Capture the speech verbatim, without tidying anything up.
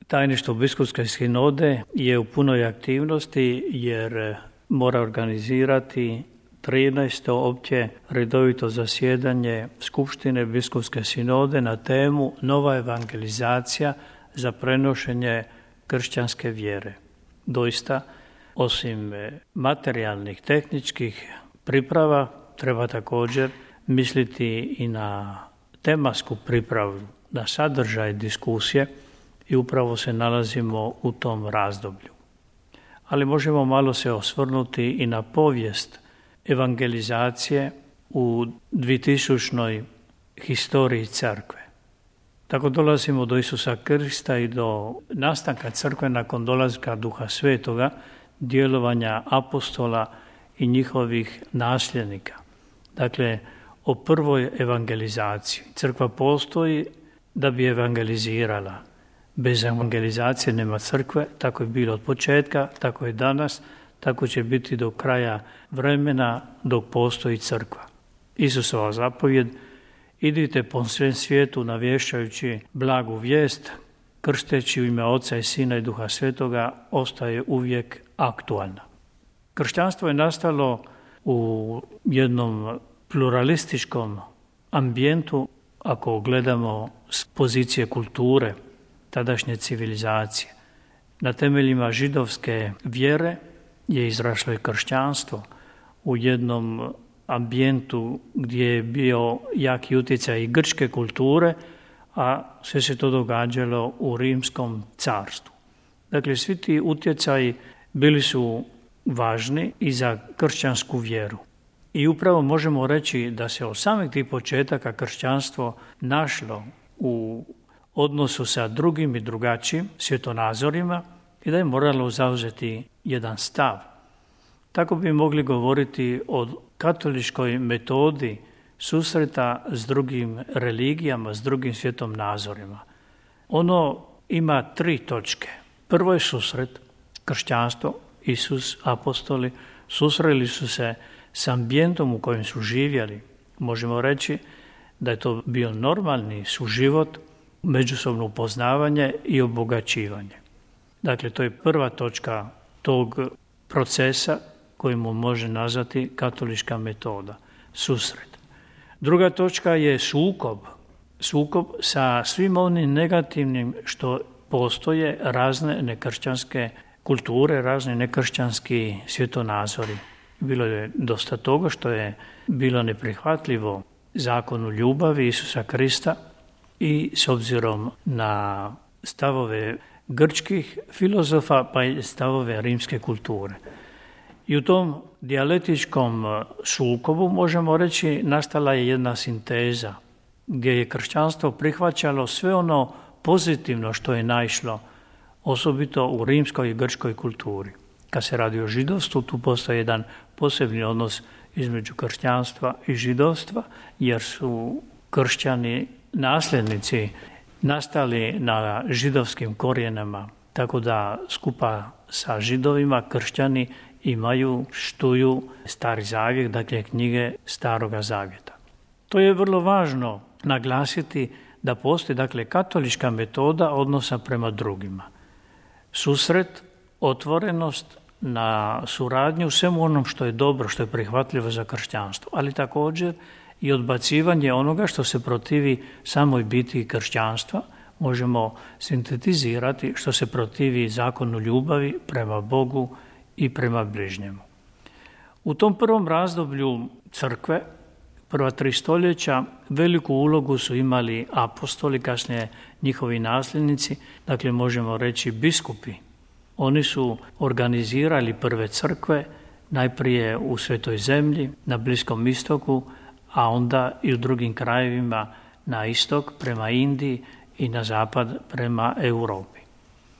Tajništvo biskupske sinode je u punoj aktivnosti jer mora organizirati trinaesto opće redovito zasjedanje Skupštine biskupske sinode na temu nova evangelizacija za prenošenje kršćanske vjere. Doista, osim materijalnih, tehničkih priprava, treba također misliti i na tematsku pripravu, na sadržaj diskusije i upravo se nalazimo u tom razdoblju. Ali možemo malo se osvrnuti i na povijest evangelizacije u dvitisućnoj historiji crkve. Tako dolazimo do Isusa Krista i do nastanka crkve nakon dolaska Duha Svetoga, djelovanja apostola i njihovih nasljednika. Dakle, o prvoj evangelizaciji. Crkva postoji da bi evangelizirala. Bez evangelizacije nema crkve, tako je bilo od početka, tako je danas, tako će biti do kraja vremena dok postoji crkva. Isusova zapovjed: idite po svem svijetu navješćajući blagu vijest, krsteći u ime Oca i Sina i Duha Svetoga, ostaje uvijek aktualna. Kršćanstvo je nastalo u jednom pluralističkom ambijentu, ako gledamo s pozicije kulture tadašnje civilizacije. Na temeljima židovske vjere je izrašlo i kršćanstvo u jednom ambijentu gdje je bio jaki utjecaj i grčke kulture, a sve se to događalo u Rimskom carstvu. Dakle, svi ti utjecaji bili su važni i za kršćansku vjeru. I upravo možemo reći da se od samih tih početaka kršćanstvo našlo u odnosu sa drugim i drugačijim svjetonazorima i da je moralo zauzeti jedan stav. Tako bi mogli govoriti o katoličkoj metodi susreta s drugim religijama, s drugim svjetonazorima. Ono ima tri točke. Prvo je susret, kršćanstvo, Isus, apostoli, susreli su se s ambijentom u kojem su živjeli. Možemo reći da je to bio normalni suživot, međusobno upoznavanje i obogaćivanje. Dakle, to je prva točka tog procesa kojemu može nazvati katolička metoda, susret. Druga točka je sukob. Sukob sa svim onim negativnim što postoje razne nekršćanske kulture, razni nekršćanski svjetonazori. Bilo je dosta toga što je bilo neprihvatljivo zakonu ljubavi Isusa Krista i s obzirom na stavove grčkih filozofa pa i stavove rimske kulture. I u tom dijalektičkom sukobu možemo reći nastala je jedna sinteza gdje je kršćanstvo prihvaćalo sve ono pozitivno što je naišlo, osobito u rimskoj i grčkoj kulturi. Kad se radi o židovstvu, tu postoji jedan posebni odnos između kršćanstva i židovstva, jer su kršćani nasljednici nastali na židovskim korijenama, tako da skupa sa židovima kršćani imaju, štuju Stari zavjet, dakle knjige Staroga zavjeta. To je vrlo važno naglasiti da postoji dakle katolička metoda odnosa prema drugima. Susret, otvorenost na suradnju u svemu onom što je dobro, što je prihvatljivo za kršćanstvo, ali također i odbacivanje onoga što se protivi samoj biti kršćanstva, možemo sintetizirati što se protivi zakonu ljubavi prema Bogu i prema bližnjemu. U tom prvom razdoblju crkve, prva tri stoljeća, veliku ulogu su imali apostoli, kasnije njihovi nasljednici, dakle možemo reći biskupi. Oni su organizirali prve crkve, najprije u Svetoj zemlji, na Bliskom istoku, a onda i u drugim krajevima na istok prema Indiji i na zapad prema Europi.